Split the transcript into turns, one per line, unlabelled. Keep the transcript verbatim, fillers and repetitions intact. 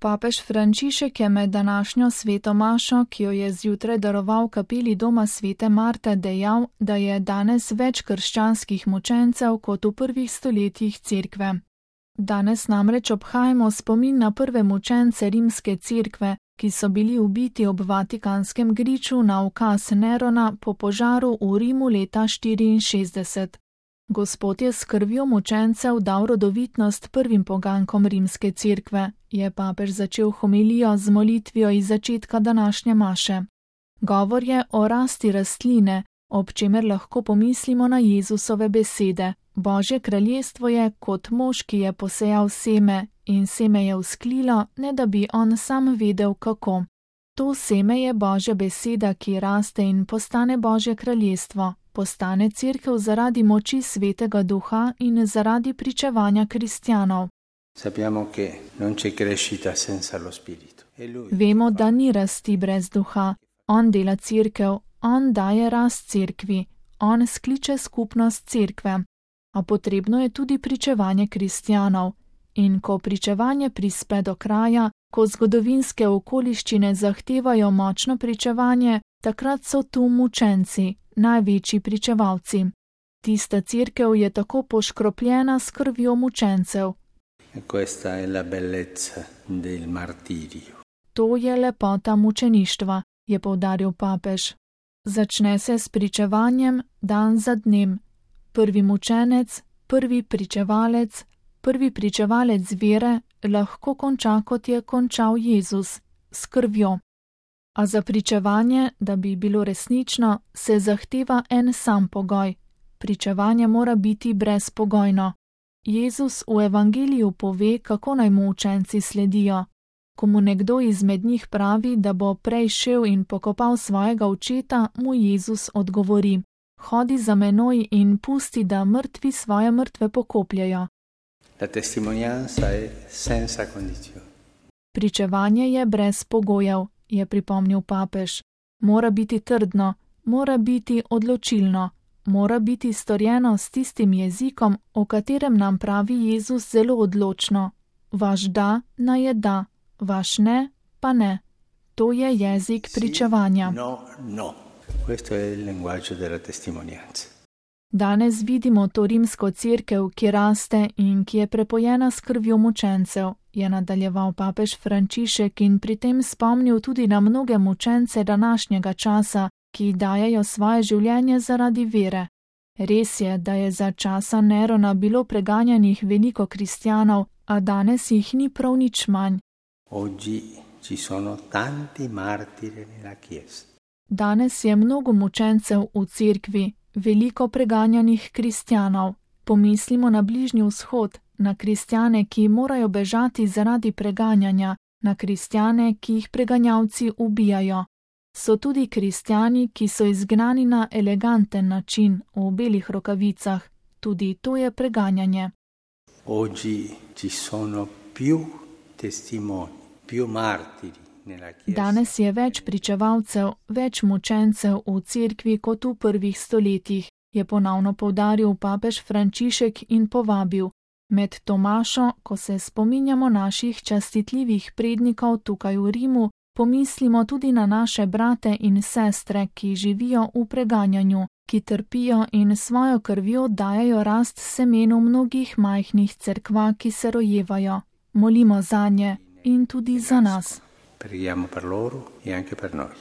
Papež Frančišek je med današnjo sveto mašo, ki jo je zjutraj daroval v kapeli doma svete Marte, dejal, da je danes več krščanskih mučencev kot v prvih stoletjih cerkve. Danes namreč obhajamo spomin na prve mučence rimske cerkve, ki so bili ubiti ob Vatikanskem griču na ukaz Nerona po požaru v Rimu leta štiriinšestdeset. Gospod je s krvjo mučencev dal rodovitnost prvim pogankom rimske cerkve, je papež začel homilijo z molitvijo iz začetka današnje maše. Govor je o rasti rastline, ob čemer lahko pomislimo na Jezusove besede. Božje kraljestvo je kot mož, ki je posejal seme, in seme je vzklilo, ne da bi on sam vedel, kako. To seme je Božja beseda, ki raste in postane Božje kraljestvo. Postane cerkev zaradi moči Svetega Duha in zaradi pričevanja kristjanov. Vemo, da ni rasti brez duha. On dela cerkev, on daje rast cerkvi, on skliče skupnost cerkve. A potrebno je tudi pričevanje kristjanov. In ko pričevanje prispe do kraja, ko zgodovinske okoliščine zahtevajo močno pričevanje, takrat so tu mučenci, največji pričevalci. Tista cerkev je tako poškropljena s krvjo mučencev. To je lepota mučeništva, je poudaril papež. Začne se s pričevanjem dan za dnem. Prvi mučenec, prvi pričevalec, prvi pričevalec vere lahko konča, kot je končal Jezus, s krvjo. A za pričevanje, da bi bilo resnično, se zahteva en sam pogoj. Pričevanje mora biti brezpogojno. Jezus v evangeliju pove, kako naj mu učenci sledijo. Ko mu nekdo izmed njih pravi, da bo prej šel in pokopal svojega očeta, mu Jezus odgovori: Hodi za menoj in pusti, da mrtvi svoje mrtve pokopljajo. Pričevanje je brez pogojev, je pripomnil papež. Mora biti trdno, mora biti odločilno, mora biti storjeno s tistim jezikom, o katerem nam pravi Jezus zelo odločno. Vaš da naj je da, vaš ne pa ne. To je jezik pričevanja.
No, no. Questo è il linguaggio della testimonianza.
Danes vidimo to rimsko cerkev, ki raste in ki je prepojena s krvjo mučencev, je nadaljeval papež Frančišek in pri tem spomnil tudi na mnoge mučence današnjega časa, ki dajejo svoje življenje zaradi vere. Res je, da je za časa Nerona bilo preganjanih veliko kristjanov, a danes jih ni prav nič manj.
Oggi ci sono tanti martiri nella Chiesa.
Danes je mnogo mučencev v cerkvi, veliko preganjanih kristjanov. Pomislimo na Bližnji vzhod, na kristjane, ki morajo bežati zaradi preganjanja, na kristjane, ki jih preganjavci ubijajo. So tudi kristjani, ki so izgnani na eleganten način, v belih rokavicah. Tudi to je preganjanje.
Oggi ci sono più testimoni, più martiri.
Danes je več pričevalcev, več mučencev v cerkvi kot v prvih stoletjih, je ponovno poudaril papež Frančišek in povabil. Med Tomašo, ko se spominjamo naših častitljivih prednikov tukaj v Rimu, pomislimo tudi na naše brate in sestre, ki živijo v preganjanju, ki trpijo in svojo krvjo dajejo rast semenu mnogih majhnih cerkva, ki se rojevajo. Molimo zanje in tudi za nas.
Preghiamo per loro e anche per noi.